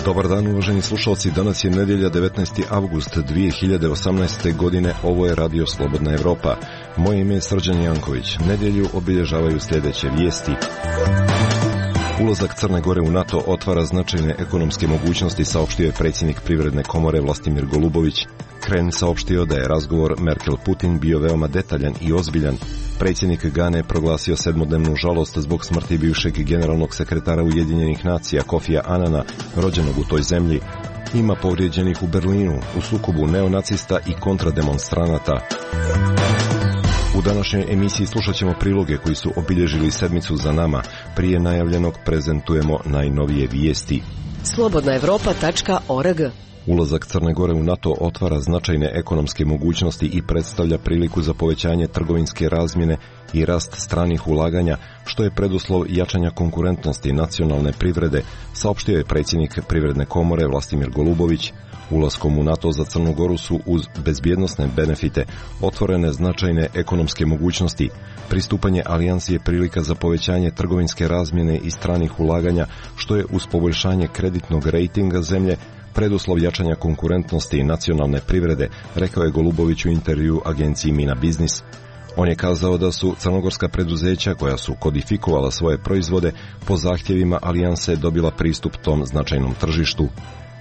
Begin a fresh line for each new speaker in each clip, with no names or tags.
Dobar dan, uvaženi slušalci, danas je nedjelja 19. avgust 2018. godine, ovo je Radio Slobodna Evropa. Moje ime je Srđan Janković. Nedjelju obilježavaju sljedeće vijesti. Ulazak Crne Gore u NATO otvara značajne ekonomske mogućnosti, saopštio je predsjednik Privredne komore Vlastimir Golubović. Kren saopštio da je razgovor Merkel-Putin bio veoma detaljan i ozbiljan. Predsjednik Gane proglasio 7-dnevnu žalost zbog smrti bivšeg generalnog sekretara Ujedinjenih nacija Kofija Anana, rođenog u toj zemlji. Ima povrijeđenih u Berlinu u sukobu neonacista i kontrademonstranata. U današnjoj emisiji slušat ćemo priloge koji su obilježili sedmicu za nama. Prije najavljenog prezentujemo najnovije vijesti.
slobodnaevropa.org.
Ulazak Crne Gore u NATO otvara značajne ekonomske mogućnosti i predstavlja priliku za povećanje trgovinske razmjene i rast stranih ulaganja, što je preduslov jačanja konkurentnosti nacionalne privrede, saopštio je predsjednik Privredne komore Vlastimir Golubović. Ulaskom u NATO za Crnu Goru su uz bezbjednosne benefite otvorene značajne ekonomske mogućnosti. Pristupanje alijansi je prilika za povećanje trgovinske razmjene i stranih ulaganja, što je uz poboljšanje kreditnog rejtinga zemlje preduslov jačanja konkurentnosti i nacionalne privrede, rekao je Golubović u intervju agenciji Mina Biznis. On je kazao da su crnogorska preduzeća koja su kodifikovala svoje proizvode po zahtjevima alijanse dobila pristup tom značajnom tržištu.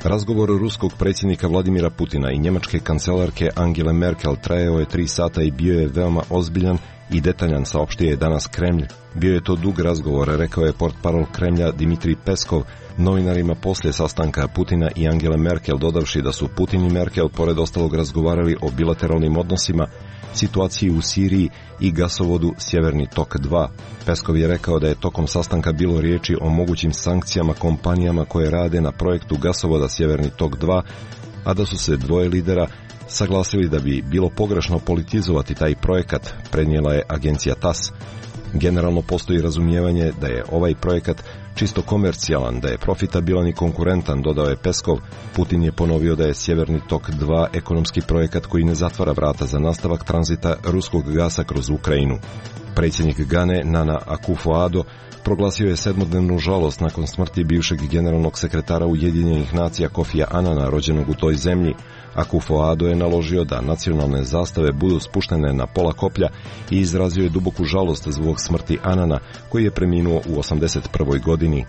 Razgovor ruskog predsjednika Vladimira Putina i njemačke kancelarke Angele Merkel trajao je 3 sata i bio je veoma ozbiljan i detaljan, saopštio je danas Kremlj. Bio je to dug razgovor, rekao je portparol Kremlja Dimitrij Peskov novinarima poslije sastanka Putina i Angele Merkel, dodavši da su Putin i Merkel pored ostalog razgovarali o bilateralnim odnosima, situaciji u Siriji i gasovodu Sjeverni tok 2. Peskov je rekao da je tokom sastanka bilo riječi o mogućim sankcijama kompanijama koje rade na projektu gasovoda Sjeverni tok 2, a da su se dvoje lidera saglasili da bi bilo pogrešno politizovati taj projekat, prenijela je agencija TASS. Generalno postoji razumijevanje da je ovaj projekat čisto komercijalan, da je profitabilan i konkurentan, dodao je Peskov. Putin je ponovio da je Sjeverni tok 2 ekonomski projekat koji ne zatvara vrata za nastavak tranzita ruskog gasa kroz Ukrajinu. Predsjednik Gane Nana Akufo-Addo proglasio je 7-dnevnu žalost nakon smrti bivšeg generalnog sekretara Ujedinjenih nacija Kofija Anana, rođenog u toj zemlji. Akufo-Addo je naložio da nacionalne zastave budu spuštene na pola koplja i izrazio je duboku žalost zbog smrti Anana, koji je preminuo u 81. godini.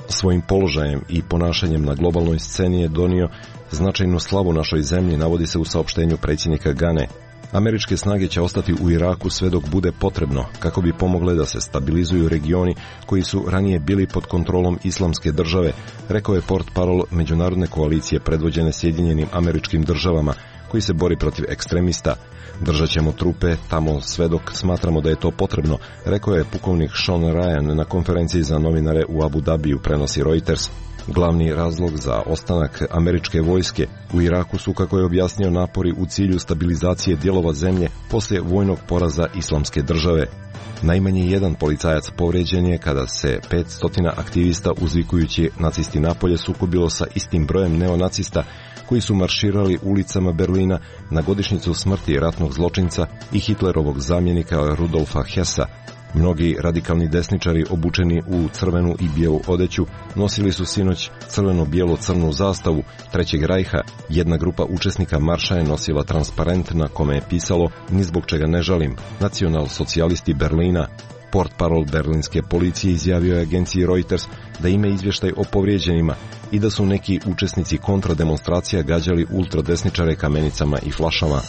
Svojim položajem i ponašanjem na globalnoj sceni je donio značajnu slavu našoj zemlji, navodi se u saopštenju predsjednika Gane. Američke snage će ostati u Iraku sve dok bude potrebno, kako bi pomogle da se stabilizuju regioni koji su ranije bili pod kontrolom Islamske države, rekao je portparol međunarodne koalicije predvođene Sjedinjenim Američkim Državama, koji se bori protiv ekstremista. Držat ćemo trupe tamo sve dok smatramo da je to potrebno, rekao je pukovnik Sean Ryan na konferenciji za novinare u Abu Dhabiju, prenosi Reuters. Glavni razlog za ostanak američke vojske u Iraku su, kako je objasnio, napori u cilju stabilizacije dijelova zemlje poslije vojnog poraza Islamske države. Najmanje jedan policajac povrijeđen je kada se 500 aktivista uzvikujući nacisti napolje sukobilo sa istim brojem neonacista koji su marširali ulicama Berlina na godišnjicu smrti ratnog zločinca i Hitlerovog zamjenika Rudolfa Hessa. Mnogi radikalni desničari obučeni u crvenu i bijelu odeću nosili su sinoć crveno-bijelo-crnu zastavu Trećeg rajha. Jedna grupa učesnika marša je nosila transparent na kome je pisalo "Ni zbog čega ne žalim, nacional-socijalisti Berlina". Portparol berlinske policije izjavio je agenciji Reuters da ima izvještaj o povrijeđenima i da su neki učesnici kontrademonstracija gađali ultradesničare kamenicama i flašama.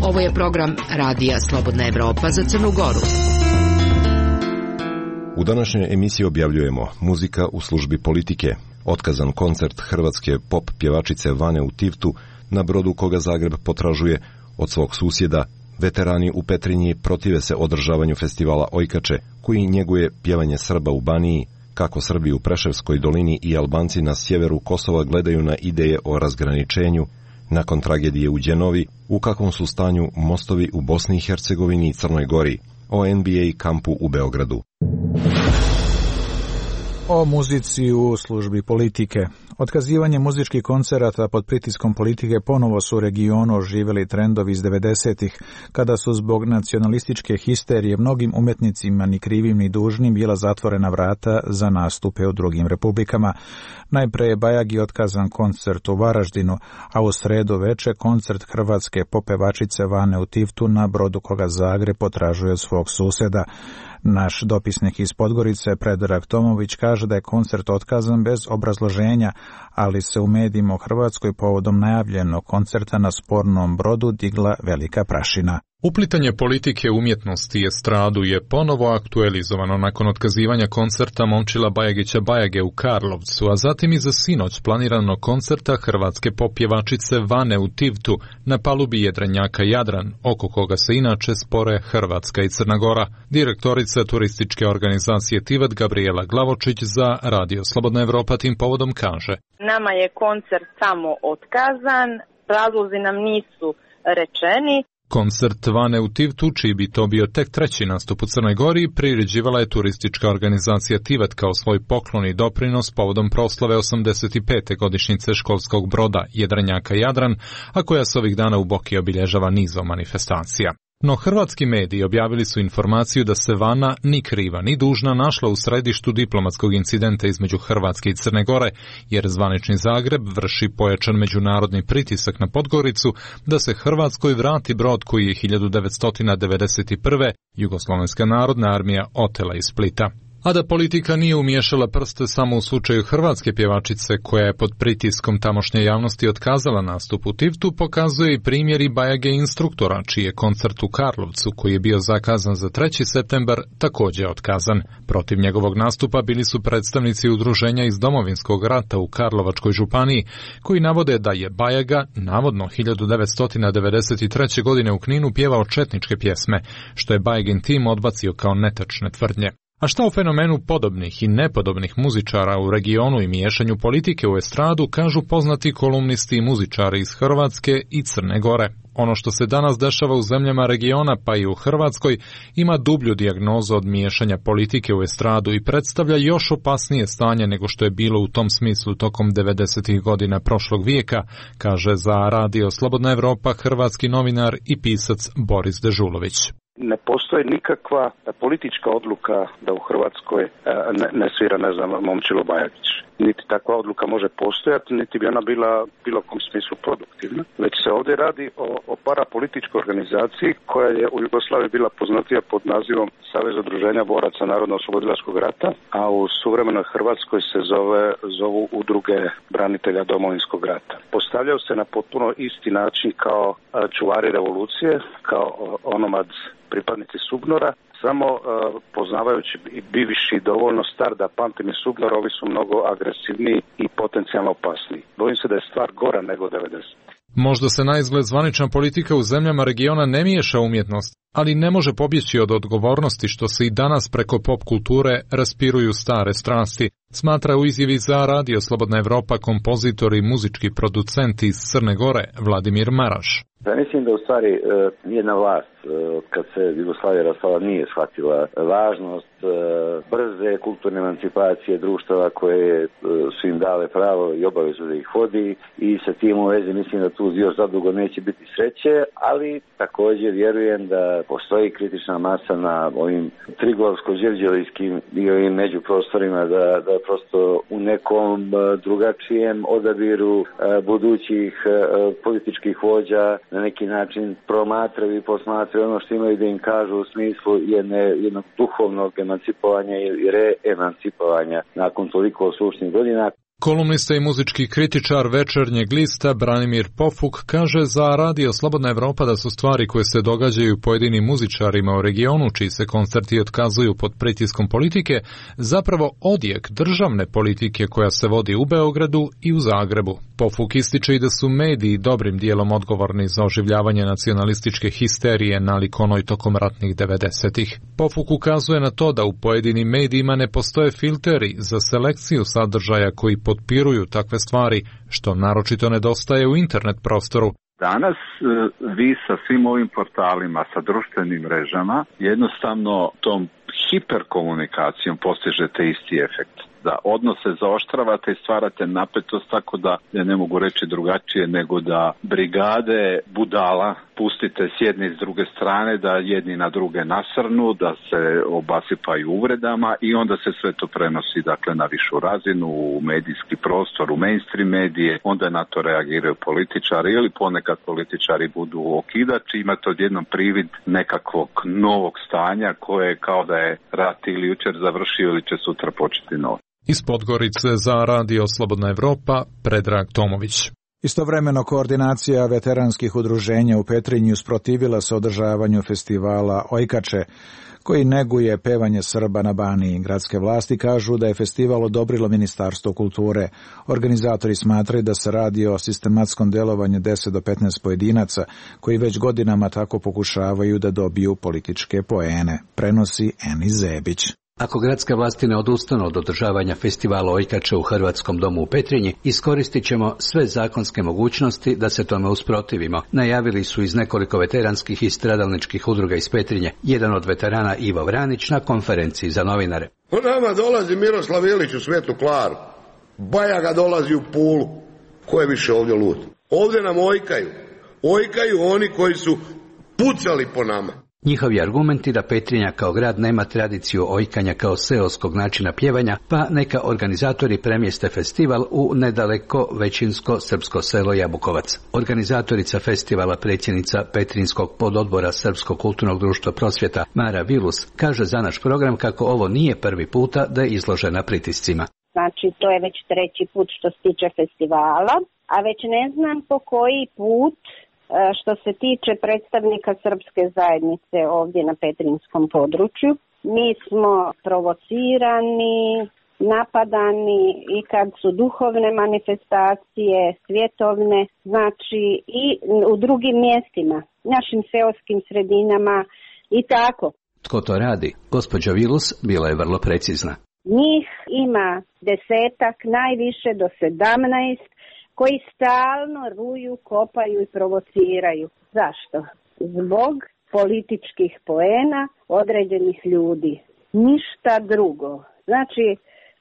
Ovo je program Radija Slobodna Evropa za Crnu Goru.
U današnjoj emisiji objavljujemo muzika u službi politike, otkazan koncert hrvatske pop pjevačice Vane u Tivtu, na brodu koga Zagreb potražuje od svog susjeda. Veterani u Petrinji protive se održavanju festivala Ojkače, koji njeguje pjevanje Srba u Baniji, kako Srbi u Preševskoj dolini i Albanci na sjeveru Kosova gledaju na ideje o razgraničenju. Nakon tragedije u Đenovi, u kakvom su stanju mostovi u Bosni i Hercegovini i Crnoj Gori, o NBA kampu u Beogradu.
O muzici u službi politike. Otkazivanje muzičkih koncerata pod pritiskom politike ponovo su u regionu oživjeli trendovi iz 90-ih, kada su zbog nacionalističke histerije mnogim umjetnicima ni krivim ni dužnim bila zatvorena vrata za nastupe u drugim republikama. Najpre je Bajagi otkazan koncert u Varaždinu, a u sredu veče koncert hrvatske popevačice Vane u Tivtu na brodu koga Zagreb potražuje od svog susjeda. Naš dopisnik iz Podgorice, Predrag Tomović, kaže da je koncert otkazan bez obrazloženja, ali se u medijima u Hrvatskoj povodom najavljenog koncerta na spornom brodu digla velika prašina.
Uplitanje politike, umjetnosti i estradu je ponovo aktualizovano nakon otkazivanja koncerta Momčila Bajagića Bajage u Karlovcu, a zatim i za sinoć planiranog koncerta hrvatske popjevačice Vane u Tivtu na palubi jedrenjaka Jadran, oko koga se inače spore Hrvatska i Crna Gora. Direktorica turističke organizacije Tivat Gabriela Glavočić za Radio Slobodna Evropa tim povodom kaže:
Nama je koncert samo otkazan, razlozi nam nisu rečeni.
Koncert Vane u Tivtu, čiji bi to bio tek treći nastup u Crnoj Gori, priređivala je turistička organizacija Tivat kao svoj poklon i doprinos povodom proslave 85. godišnjice školskog broda jedrenjaka Jadran, a koja se ovih dana u Boki obilježava nizom manifestacija. No hrvatski mediji objavili su informaciju da se Vana ni kriva ni dužna našla u središtu diplomatskog incidenta između Hrvatske i Crne Gore, jer zvanični Zagreb vrši pojačan međunarodni pritisak na Podgoricu da se Hrvatskoj vrati brod koji je 1991. Jugoslovenska narodna armija otela iz Splita. A da politika nije umiješala prste samo u slučaju hrvatske pjevačice koja je pod pritiskom tamošnje javnosti otkazala nastup u Tivtu, pokazuje i primjer i Bajage instruktora, čiji je koncert u Karlovcu, koji je bio zakazan za 3. septembar, također otkazan. Protiv njegovog nastupa bili su predstavnici udruženja iz Domovinskog rata u Karlovačkoj županiji, koji navode da je Bajaga, navodno 1993. godine u Kninu pjevao četničke pjesme, što je Bajagin tim odbacio kao netačne tvrdnje. A šta o fenomenu podobnih i nepodobnih muzičara u regionu i miješanju politike u estradu kažu poznati kolumnisti i muzičari iz Hrvatske i Crne Gore. Ono što se danas dešava u zemljama regiona, pa i u Hrvatskoj, ima dublju dijagnozu od miješanja politike u estradu i predstavlja još opasnije stanje nego što je bilo u tom smislu tokom 90. godina prošlog vijeka, kaže za Radio Slobodna Evropa hrvatski novinar i pisac Boris Dežulović.
Ne postoji nikakva politička odluka da u Hrvatskoj ne svira, Momčilo Bajagić. Niti takva odluka može postojati, niti bi ona bila bilo kom smislu produktivna. Već se ovdje radi o parapolitičkoj organizaciji koja je u Jugoslaviji bila poznatija pod nazivom Savez udruženja boraca Narodno-oslobodilačkog rata, a u suvremenoj Hrvatskoj se zovu udruge branitelja Domovinskog rata. Postavljaju se na potpuno isti način kao čuvari revolucije, kao onomad pripadnici SUBNOR-a, samo poznavajući i bivši dovoljno star da pamtim i SUBNOR, ovi su mnogo agresivniji i potencijalno opasniji. Bojim se da je stvar gora nego 90.
Možda se naizgled zvanična politika u zemljama regiona ne miješa umjetnost, ali ne može pobjeći od odgovornosti što se i danas preko pop kulture raspiruju stare strasti, smatra u izjavi za Radio Slobodna Evropa kompozitor i muzički producent iz Crne Gore Vladimir Maraš.
Ja mislim da u stvari nijedna vlast kad se Jugoslavija rastala nije shvatila važnost brze kulturne emancipacije društava koje su im dale pravo i obavezu da ih vodi, i sa tim u vezi mislim da tu još zadugo neće biti sreće, ali također vjerujem da postoji kritična masa na ovim triglavsko-đevđelijskim i ovim međuprostorima da prosto u nekom drugačijem odabiru budućih političkih vođa na neki način promatraju i posmatraju ono što imaju da im kažu u smislu jednog duhovnog emancipovanja i reemancipovanja nakon toliko sušnih godina.
Kolumnista i muzički kritičar Večernjeg lista Branimir Pofuk kaže za Radio Slobodna Evropa da su stvari koje se događaju pojedinim muzičarima u regionu, čiji se koncerti otkazuju pod pritiskom politike, zapravo odjek državne politike koja se vodi u Beogradu i u Zagrebu. Pofuk ističe i da su mediji dobrim dijelom odgovorni za oživljavanje nacionalističke histerije nalik onoj tokom ratnih 90-ih. Pofuk ukazuje na to da u pojedinim medijima ne postoje filteri za selekciju sadržaja koji potpiruju takve stvari, što naročito nedostaje u internet prostoru.
Danas vi sa svim ovim portalima, sa društvenim mrežama, jednostavno tom hiperkomunikacijom postižete isti efekt. da odnose zaoštravate i stvarate napetost, tako da ja ne mogu reći drugačije nego da brigade budala pustite s jedne i s druge strane, da jedni na druge nasrnu, da se obasipaju uvredama i onda se sve to prenosi dakle na višu razinu, u medijski prostor, u mainstream medije, onda na to reagiraju političari ili ponekad političari budu okidači, imate odjednom privid nekakvog novog stanja koje kao da je rat ili jučer završio ili će sutra početi novo.
Iz Podgorice za Radio Slobodna Evropa, Predrag Tomović.
Istovremeno koordinacija veteranskih udruženja u Petrinji usprotivila se održavanju festivala Ojkače, koji neguje pevanje Srba na Baniji. Gradske vlasti kažu da je festival odobrilo Ministarstvo kulture. Organizatori smatraju da se radi o sistematskom delovanju 10 do 15 pojedinaca koji već godinama tako pokušavaju da dobiju političke poene. Prenosi Eni Zebić.
Ako gradske vlasti ne odustanu od održavanja festivala Ojkače u Hrvatskom domu u Petrinji, iskoristit ćemo sve zakonske mogućnosti da se tome usprotivimo, najavili su iz nekoliko veteranskih i stradalničkih udruga iz Petrinje. Jedan od veterana, Ivo Vranić, na konferenciji za novinare.
U nama dolazi Miroslav Ilić u Svetu Klaru, Bajaga dolazi u Pulu. Ko je više ovdje lud? Ovdje nam ojkaju. Ojkaju oni koji su pucali po nama.
Njihovi argumenti da Petrinja kao grad nema tradiciju ojkanja kao seoskog načina pjevanja, pa neka organizatori premjeste festival u nedaleko većinsko srpsko selo Jabukovac. Organizatorica festivala, predsjednica Petrinjskog pododbora Srpskog kulturnog društva Prosvjeta, Mara Vilus, kaže za naš program kako ovo nije prvi puta da je izložena pritiscima.
Znači, to je već treći put što se tiče festivala, a već ne znam po koji put što se tiče predstavnika srpske zajednice ovdje na petrinjskom području. Mi smo provocirani, napadani i kad su duhovne manifestacije, svjetovne, znači i u drugim mjestima, našim seoskim sredinama i tako.
Tko to radi? Gospođa Vilus bila je vrlo precizna.
Njih ima 10, najviše do 17, koji stalno ruju, kopaju i provociraju. Zašto? Zbog političkih poena određenih ljudi. Ništa drugo. Znači,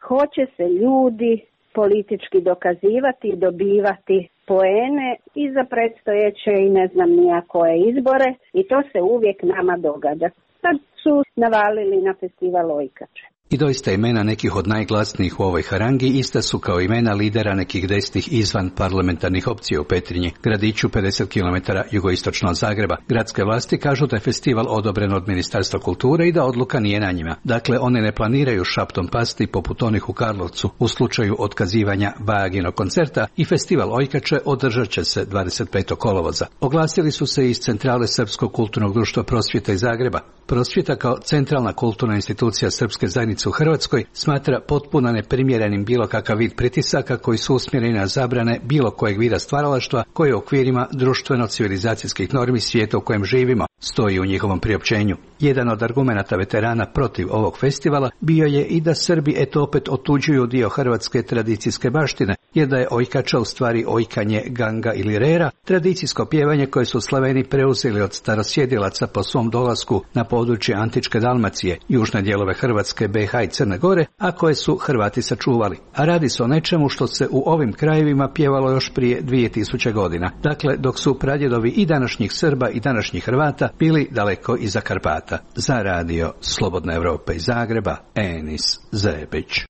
hoće se ljudi politički dokazivati i dobivati poene i za predstojeće i ne znam nija koje izbore i to se uvijek nama događa. Sad su navalili na festival Ojkače.
I doista imena nekih od najglasnijih u ovoj harangi ista su kao imena lidera nekih desnih izvan parlamentarnih opcija u Petrinji, gradiću 50 km jugoistočno od Zagreba. Gradske vlasti kažu da je festival odobren od Ministarstva kulture i da odluka nije na njima. Dakle, one ne planiraju šaptom pasti poput onih u Karlovcu u slučaju otkazivanja Bajaginog koncerta i festival Ojkače održat će se 25. kolovoza. Oglasili su se iz centrale Srpskog kulturnog društva Prosvjeta iz Zagreba. Prosvjeta kao centralna kulturna institucija srpske zajednice u Hrvatskoj smatra potpuno neprimjerenim bilo kakav vid pritisaka koji su usmjereni na zabrane bilo kojeg vida stvaralaštva koji je u okvirima društveno-civilizacijskih normi svijeta u kojem živimo, stoji u njihovom priopćenju. Jedan od argumenata veterana protiv ovog festivala bio je i da Srbi eto opet otuđuju dio hrvatske tradicijske baštine, jer da je Ojkača u stvari ojkanje ganga ili rera, tradicijsko pjevanje koje su Slaveni preuzeli od starosjedilaca po svom dolasku na područje antičke Dalmacije, južne dijelove Hrvatske, BiH i Crne Gore, a koje su Hrvati sačuvali. A radi se o nečemu što se u ovim krajevima pjevalo još prije 2000 godina. Dakle, dok su pradjedovi i današnjih Srba i današnjih Hrvata bili daleko iza Karpata. Za Radio Slobodna Evropa iz Zagreba, Enis Zebić.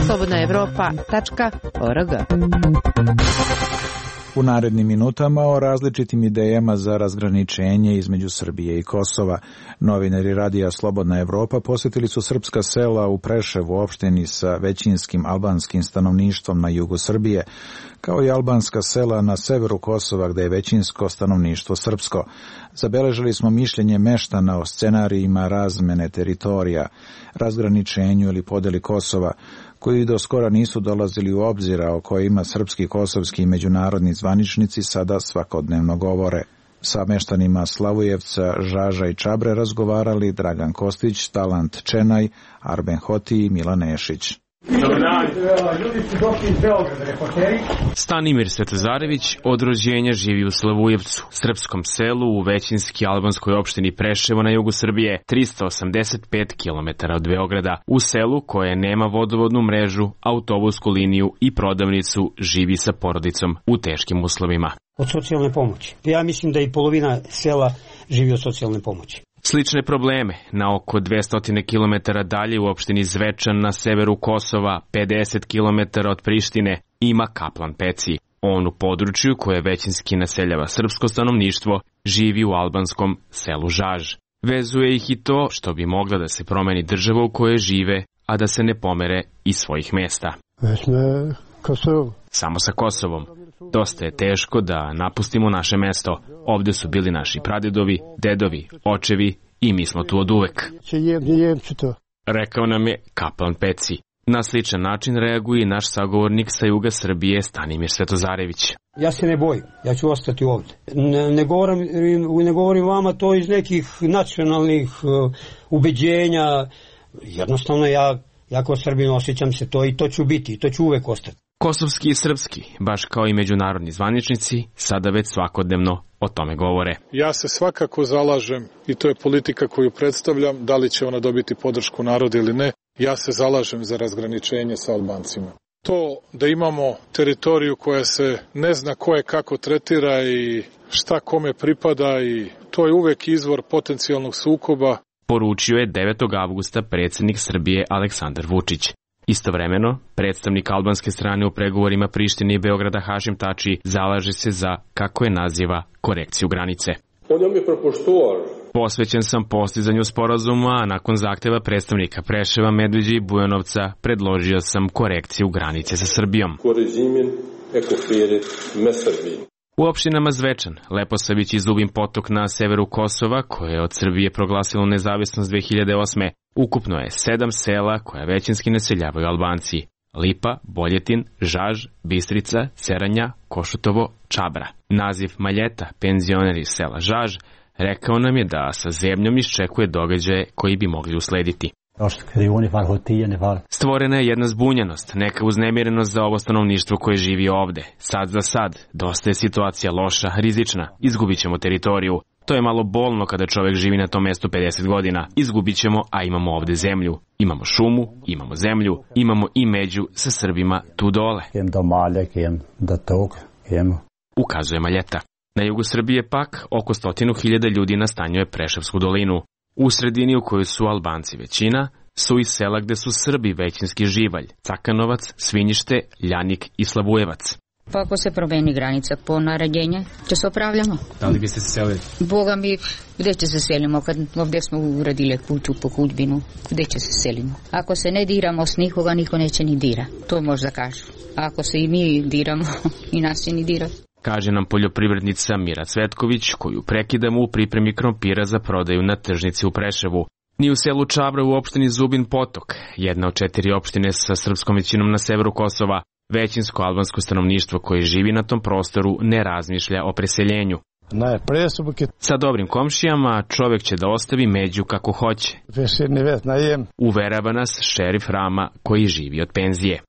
slobodnaevropa.org.
U narednim minutama o različitim idejama za razgraničenje između Srbije i Kosova. Novinari Radija Slobodna Evropa posjetili su srpska sela u Preševu, opštini sa većinskim albanskim stanovništvom na jugu Srbije, kao i albanska sela na severu Kosova gdje je većinsko stanovništvo srpsko. Zabeležili smo mišljenje meštana o scenarijima razmene teritorija, razgraničenju ili podeli Kosova, koji do skora nisu dolazili u obzir, o kojima srpski, kosovski i međunarodni zvaničnici sada svakodnevno govore. Sa meštanima Slavujevca, Žaža i Čabre razgovarali Dragan Kostić, Talant Čenaj, Arben Hoti i Milan Nešić.
Stanimir Svetozarević od rođenja živi u Slavujevcu, srpskom selu u većinski albanskoj opštini Preševo na jugu Srbije, 385 km od Beograda. U selu koje nema vodovodnu mrežu, autobusku liniju i prodavnicu, živi sa porodicom u teškim uslovima.
Od socijalne pomoći. Ja mislim da i polovina sela živi od socijalne pomoći.
Slične probleme na oko 200 km dalje u opštini Zvečan na severu Kosova, 50 km od Prištine, ima Kaplan Peci. On u području koje većinski naseljava srpsko stanovništvo živi u albanskom selu Žaž. Vezuje ih i to što bi mogla da se promeni država u kojoj žive, a da se ne pomere iz svojih mesta. Samo sa Kosovom. Dosta je teško da napustimo naše mesto. Ovde su bili naši pradedovi, dedovi, očevi i mi smo tu od uvek. Rekao nam je Kaplan Peci. Na sličan način reaguje i naš sagovornik sa juga Srbije Stanimir Svetozarević.
Ja se ne bojim, ja ću ostati ovde. Ne govorim vama to iz nekih nacionalnih ubeđenja. Jednostavno ja kao Srbin osjećam se to i to ću biti i to ću uvek ostati.
Kosovski i srpski, baš kao i međunarodni zvaničnici, sada već svakodnevno o tome govore.
Ja se svakako zalažem, i to je politika koju predstavljam, da li će ona dobiti podršku naroda ili ne, ja se zalažem za razgraničenje sa Albancima. To da imamo teritoriju koja se ne zna ko je kako tretira i šta kome pripada, i to je uvek izvor potencijalnog sukoba.
Poručio je 9. avgusta predsjednik Srbije Aleksandar Vučić. Istovremeno, predstavnik albanske strane u pregovorima Prištine i Beograda Hašim Tači zalaže se za, kako je naziva, korekciju granice. Posvećen sam postizanju sporazuma, a nakon zahteva predstavnika Preševa, Medveđe i Bujanovca predložio sam korekciju granice sa Srbijom. U opštinama Zvečan, Leposavić i Zubin Potok na severu Kosova, koje je od Srbije proglasilo nezavisnost 2008. Ukupno je 7 sela koja većinski naseljavaju Albanci. Lipa, Boljetin, Žaž, Bistrica, Ceranja, Košutovo, Čabra. Naziv Maljeta, penzioner iz sela Žaž, rekao nam je da sa zemljom iščekuje događaje koji bi mogli uslediti. Stvorena je jedna zbunjenost, neka uznemirenost za ovo stanovništvo koje živi ovde. Sad za sad, dosta je situacija loša, rizična, izgubit ćemo teritoriju. To je malo bolno kada čovek živi na tom mestu 50 godina. Izgubit ćemo, a imamo ovde zemlju. Imamo šumu, imamo zemlju, imamo i među sa Srbima tu dole. Ukazuje Maljeta. Na jugu Srbije pak oko 100.000 ljudi nastanjuje Preševsku dolinu. U sredini u kojoj su Albanci većina, su i sela gde su Srbi većinski živalj, Cakanovac, Svinjište, Ljanik i Slavujevac.
Pa ako se promeni granica po naređenje, će se opravljamo.
Da li biste se selili?
Boga mi, gde će se selimo? Kad ovdje smo uradili kuću po kućbinu, gde će se selimo? Ako se ne diramo s nikoga, niko neće ni dira. To možda kažu. A ako se i mi diramo, i nas će ni dirati.
Kaže nam poljoprivrednica Mira Cvetković, koju prekidamo u pripremi krompira za prodaju na tržnici u Preševu. Ni u selu Čabra u opštini Zubin Potok, jedna od 4 opštine sa srpskom većinom na severu Kosova, većinsko albansko stanovništvo koje živi na tom prostoru ne razmišlja o preseljenju. Sa dobrim komšijama čovjek će da ostavi među kako hoće. Uverava nas šerif Rama koji živi od penzije.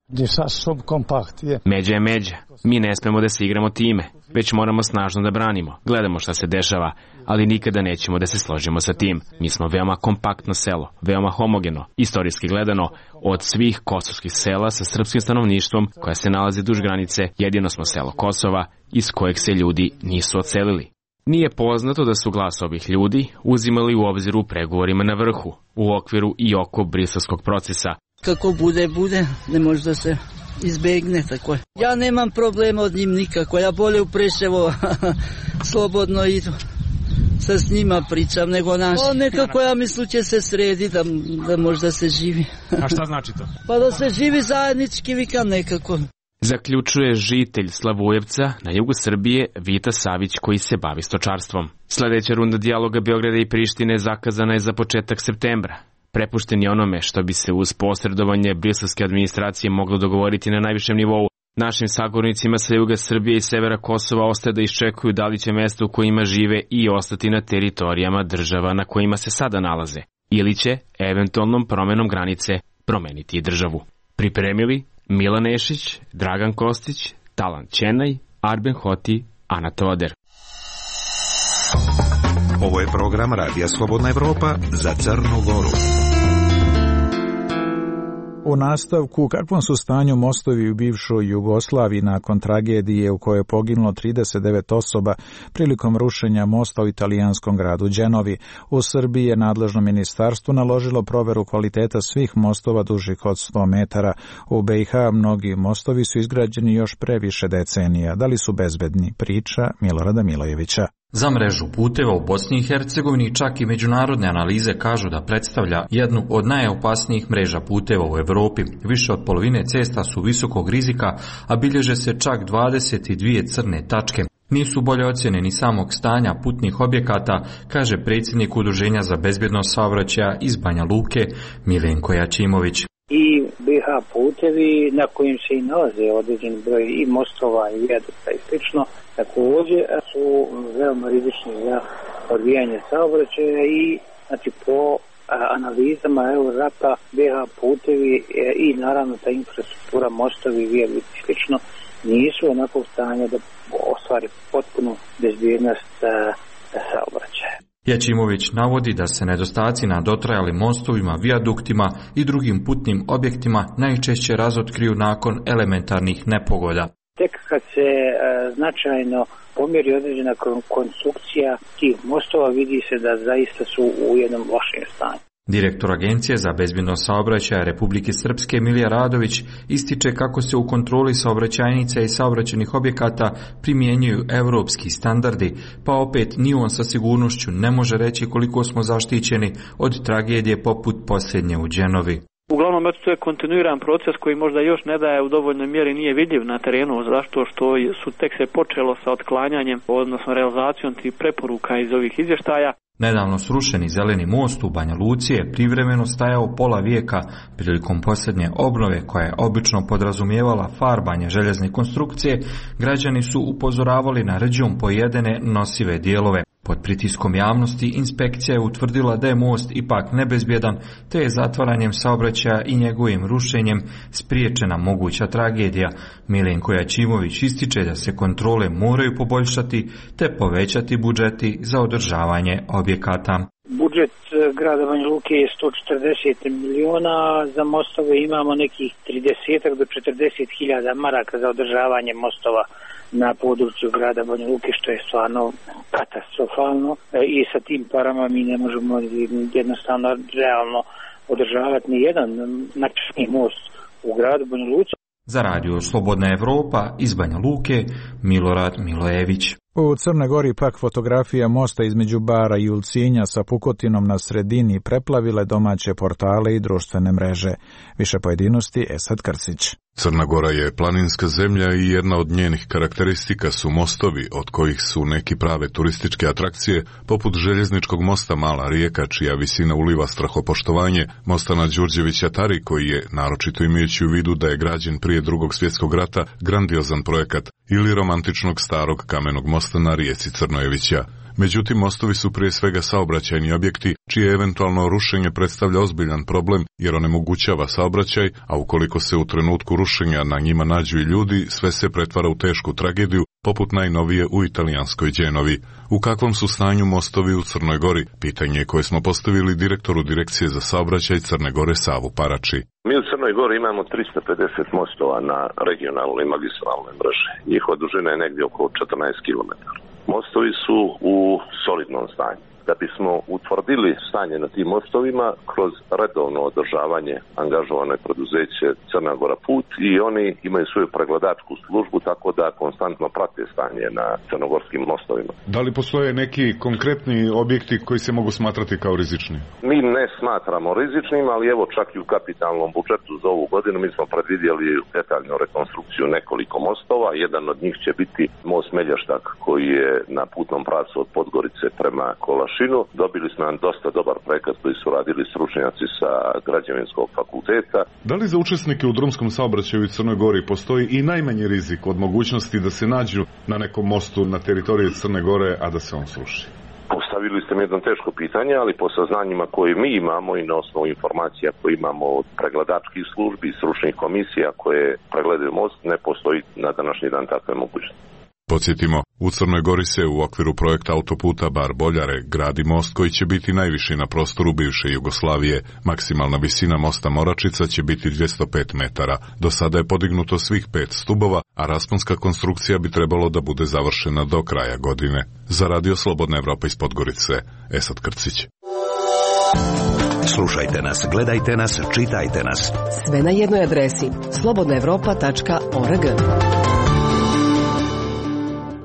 Međa je međa. Mi ne smemo da se igramo time, već moramo snažno da branimo. Gledamo šta se dešava, ali nikada nećemo da se složimo sa tim. Mi smo veoma kompaktno selo, veoma homogeno, istorijski gledano. Od svih kosovskih sela sa srpskim stanovništvom koja se nalazi duž granice, jedino smo selo Kosova iz kojeg se ljudi nisu odselili. Nije poznato da su glas ovih ljudi uzimali u obzir u pregovorima na vrhu, u okviru i oko briselskog procesa.
Kako bude, ne može da se izbegne tako. Ja nemam problema od njim nikako, ja bolje u Preševo slobodno idu. Sa s njima pričam nego naši. Nekako ja mislim će se sredi da možda se živi.
A šta znači to?
Pa da se živi zajednički, vikam nekako.
Zaključuje žitelj Slavujevca na jugu Srbije Vita Savić koji se bavi stočarstvom. Sljedeća runda dijaloga Beograda i Prištine zakazana je za početak septembra. Prepušten je onome što bi se uz posredovanje briselske administracije moglo dogovoriti na najvišem nivou. Našim sagovornicima sa juga Srbije i severa Kosova ostaje da iščekuju da li će mesta u kojima žive i ostati na teritorijama država na kojima se sada nalaze, ili će, eventualnom promenom granice, promeniti i državu. Pripremili Milan Nešić, Dragan Kostić, Talan Ćenaj, Arben Hoti, Ana Toder.
Ovo je program Radija Slobodna Evropa za Crnu Goru.
U nastavku, kakvom su stanju mostovi u bivšoj Jugoslaviji nakon tragedije u kojoj je poginulo 39 osoba prilikom rušenja mosta u italijanskom gradu Đenovi. U Srbiji je nadležno ministarstvo naložilo proveru kvaliteta svih mostova dužih od 100 metara. U BiH mnogi mostovi su izgrađeni još pre više decenija. Da li su bezbedni? Priča Milorada Milojevića.
Za mrežu puteva u Bosni i Hercegovini čak i međunarodne analize kažu da predstavlja jednu od najopasnijih mreža puteva u Evropi. Više od polovine cesta su visokog rizika, a bilježe se čak 22 crne tačke. Nisu bolje ocjene ni samog stanja putnih objekata, kaže predsjednik Udruženja za bezbjednost saobraćaja iz Banja Luke, Milenko Jačimović.
I BiH putevi na kojim se i nalaze određen broj i mostova i vijadukta i slično, također su veoma rizični za odvijanje saobraćaja i znači po analizama Eurorapa BiH putevi i naravno ta infrastruktura, mostovi, vijadukti i slično nisu onakvog stanja da ostvari potpunu bezbjednost saobraćaja.
Jačimović navodi da se nedostaci na dotrajalim mostovima, vijaduktima i drugim putnim objektima najčešće razotkriju nakon elementarnih nepogoda.
Tek kad se značajno pomjeri određena konstrukcija tih mostova, vidi se da zaista su u jednom lošem stanju.
Direktor Agencije za bezbjednost saobraćaja Republike Srpske Milija Radović ističe kako se u kontroli saobraćajnica i saobraćajnih objekata primjenjuju europski standardi, pa opet ni on sa sigurnošću ne može reći koliko smo zaštićeni od tragedije poput posljednje u Đenovi.
Uglavnom, to je kontinuiran proces koji možda još ne daje u dovoljnoj mjeri, nije vidljiv na terenu, zašto što su tek se počelo sa otklanjanjem, odnosno realizacijom tih preporuka iz ovih izvještaja.
Nedavno srušeni zeleni most u Banja Luci je privremeno stajao pola vijeka prilikom posljednje obnove koja je obično podrazumijevala farbanje željezne konstrukcije. Građani su upozoravali na rđom pojedene nosive dijelove. Pod pritiskom javnosti inspekcija je utvrdila da je most ipak nebezbjedan, te je zatvaranjem saobraćaja i njegovim rušenjem spriječena moguća tragedija. Milenko Jačimović ističe da se kontrole moraju poboljšati te povećati budžeti za održavanje objekata.
Budžet grada Banja Luke je 140 miliona, za mostove imamo nekih 30 do 40 hiljada maraka za održavanje mostova na području grada Banja Luke, što je stvarno katastrofalno i sa tim parama mi ne možemo jednostavno realno održavati ni jedan značajni most u gradu Banja Luci.
Za radio Slobodna Evropa iz Banja Luke, Milorad Milojević.
U Crnoj Gori pak fotografija mosta između Bara i Ulcinja sa pukotinom na sredini preplavile domaće portale i društvene mreže. Više pojedinosti Esad Krcić.
Crna Gora je planinska zemlja i jedna od njenih karakteristika su mostovi, od kojih su neki prave turističke atrakcije, poput željezničkog mosta Mala Rijeka, čija visina uliva strahopoštovanje, mosta na Đurđevića Tari, koji je, naročito imajući u vidu da je građen prije Drugog svjetskog rata, grandiozan projekat, ili romantičnog starog kamenog mosta na rijeci Crnojevića. Međutim, mostovi su prije svega saobraćajni objekti, čije eventualno rušenje predstavlja ozbiljan problem jer onemogućava saobraćaj, a ukoliko se u trenutku rušenja na njima nađu i ljudi, sve se pretvara u tešku tragediju, poput najnovije u italijanskoj Đenovi. U kakvom su stanju mostovi u Crnoj Gori? Pitanje koje smo postavili direktoru Direkcije za saobraćaj Crne Gore Savu Parači.
Mi u Crnoj Gori imamo 350 mostova na regionalnoj i magistralnoj mreži. Njihova dužina je negdje oko 14 km. Mostovi su u solidnom stanju. Da bismo utvrdili stanje na tim mostovima, kroz redovno održavanje angažovano je preduzeće Crna Gora Put i oni imaju svoju pregledačku službu, tako da konstantno prate stanje na crnogorskim mostovima.
Da li postoje neki konkretni objekti koji se mogu smatrati kao rizični?
Mi ne smatramo rizičnim, ali evo čak i u kapitalnom budžetu za ovu godinu mi smo predvidjeli detaljnu rekonstrukciju nekoliko mostova. Jedan od njih će biti most Melještak koji je na putnom pravcu od Podgorice prema Kolašinu. Dobili smo nam dosta dobar projekat koji su radili stručnjaci sa građevinskog fakulteta.
Da li za učesnike u drumskom saobraćaju u Crnoj Gori postoji i najmanji rizik od mogućnosti da se nađu na nekom mostu na teritoriji Crne Gore, a da se on sruši?
Postavili ste mi jedno teško pitanje, ali po saznanjima koje mi imamo i na osnovu informacija koje imamo od pregledačkih službi i stručnih komisija koje pregledaju most, ne postoji na današnji dan takve mogućnosti.
Podsjetimo, u Crnoj Gori se u okviru projekta autoputa Bar-Boljare gradi most koji će biti najviši na prostoru bivše Jugoslavije. Maksimalna visina mosta Moračica će biti 205 metara. Do sada je podignuto svih 5 stubova, a rasponska konstrukcija bi trebalo da bude završena do kraja godine. Za Radio Slobodna Evropa iz Podgorice, Esad Krcić.
Slušajte nas, gledajte nas, čitajte nas.
Sve na jednoj adresi slobodnaevropa.org.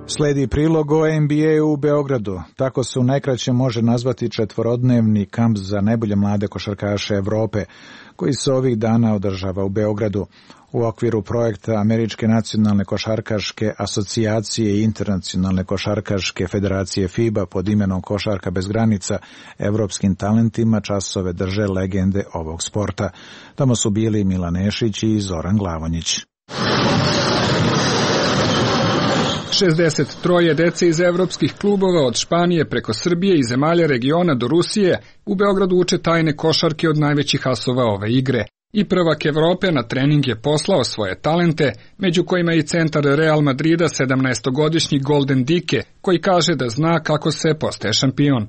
Sledi prilog o NBA u Beogradu. Tako se u najkraće može nazvati četvorodnevni kamp za najbolje mlade košarkaše Evrope, koji se ovih dana održava u Beogradu. U okviru projekta Američke nacionalne košarkaške asocijacije i Internacionalne košarkaške federacije FIBA pod imenom Košarka bez granica, evropskim talentima časove drže legende ovog sporta. Tamo su bili Milan Nešić i Zoran Glavonjić.
63 dece iz evropskih klubova od Španije preko Srbije i zemalja regiona do Rusije u Beogradu uče tajne košarke od najvećih asova ove igre. I prvak Evrope na trening je poslao svoje talente, među kojima i centar Real Madrida 17-godišnji Golden Dike, koji kaže da zna kako se postaje šampion.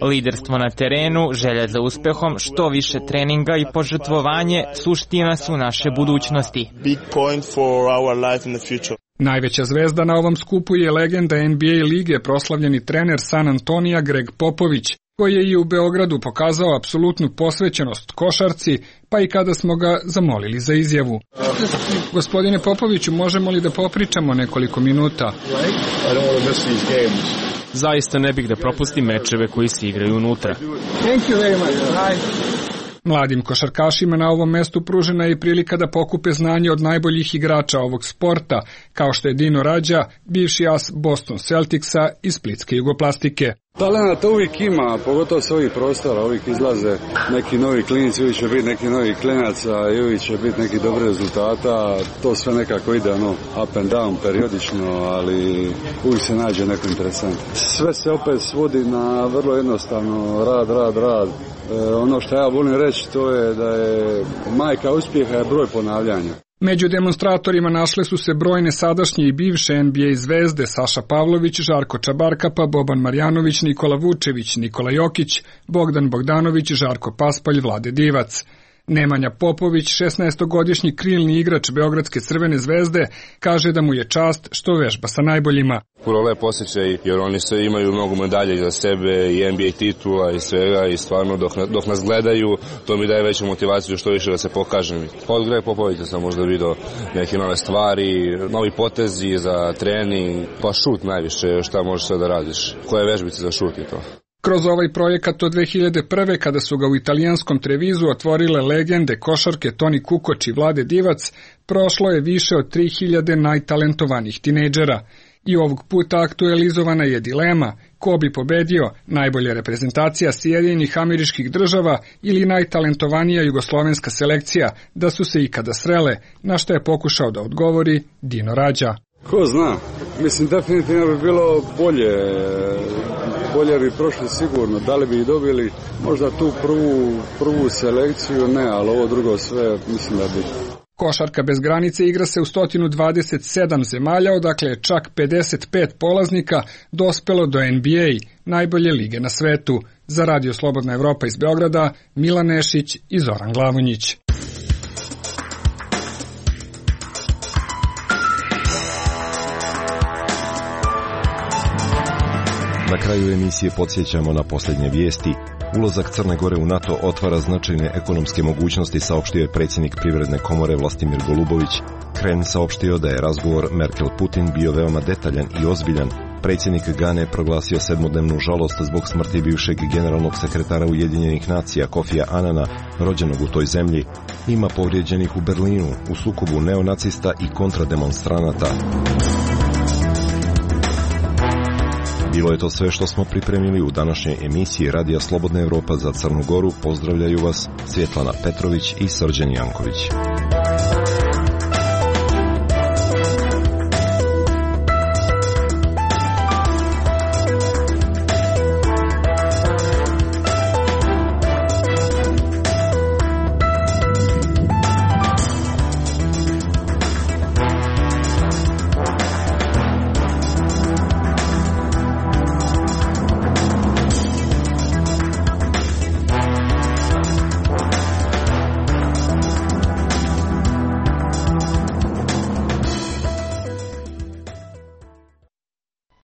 Liderstvo na terenu, želja za uspehom, što više treninga i požrtvovanje suština su naše budućnosti.
Najveća zvezda na ovom skupu je legenda NBA lige, proslavljeni trener San Antonija Greg Popović, koji je i u Beogradu pokazao apsolutnu posvećenost košarci, pa i kada smo ga zamolili za izjavu. Gospodine Popoviću, možemo li da popričamo nekoliko minuta?
Zaista ne bih da propustim mečeve koji se igraju unutra.
Mladim košarkašima na ovom mestu pružena je prilika da pokupe znanje od najboljih igrača ovog sporta, kao što je Dino Rađa, bivši as Boston Celticsa i Splitske Jugoplastike.
Talenata uvijek ima, pogotovo s ovih prostora, uvijek izlaze neki novi klinici, uvijek će biti neki novi klinaca i uvijek će biti neki dobri rezultata, to sve nekako ide up and down periodično, ali uvijek se nađe neko interesantno. Sve se opet svodi na vrlo jednostavno rad. Ono što ja volim reći to je da je majka uspjeha je broj ponavljanja.
Među demonstratorima našle su se brojne sadašnje i bivše NBA zvezde Saša Pavlović, Žarko Čabarkapa, Boban Marjanović, Nikola Vučević, Nikola Jokić, Bogdan Bogdanović, Žarko Paspalj, Vlade Divac. Nemanja Popović, 16-godišnji krilni igrač Beogradske Crvene zvezde, kaže da mu je čast što vežba sa najboljima.
Puno lep osjećaj, jer oni sve imaju mnogo medalje za sebe i NBA titula i svega i stvarno dok nas gledaju, to mi daje veću motivaciju što više da se pokažem. Od Greg Popovića sam možda vidio neke nove stvari, novi potezi za trening, pa šut najviše, šta možeš sve da radiš, koje vežbice za šut i to.
Kroz ovaj projekat od 2001. kada su ga u italijanskom Trevizu otvorile legende košarke Toni Kukoč i Vlade Divac, prošlo je više od 3000 najtalentovanih tinejdžera. I ovog puta aktualizovana je dilema ko bi pobedio, najbolja reprezentacija Sjedinjenih Američkih Država ili najtalentovanija jugoslovenska selekcija, da su se ikada srele, na što je pokušao da odgovori Dino Rađa.
Ko zna, mislim definitivno bi bilo bolje bi prošli sigurno, da li bi i dobili možda tu prvu selekciju, ne, ali ovo drugo sve mislim da bi.
Košarka bez granice igra se u 127 zemalja, odakle je čak 55 polaznika dospelo do NBA, najbolje lige na svetu. Za Radio Slobodna Evropa iz Beograda, Milan Nešić i Zoran Glavonjić.
Na kraju emisije podsjećamo na posljednje vijesti. Ulazak Crne Gore u NATO otvara značajne ekonomske mogućnosti, saopštio je predsjednik Privredne komore Vlastimir Golubović. Kren saopštio da je razgovor Merkel-Putin bio veoma detaljan i ozbiljan. Predsjednik Gane proglasio 7-dnevnu žalost zbog smrti bivšeg generalnog sekretara Ujedinjenih nacija Kofija Anana, rođenog u toj zemlji. Ima povrijeđenih u Berlinu u sukobu neonacista i kontrademonstranata. Bilo je to sve što smo pripremili u današnjoj emisiji Radija Slobodna Evropa za Crnu Goru. Pozdravljaju vas Svjetlana Petrović i Srđan Janković.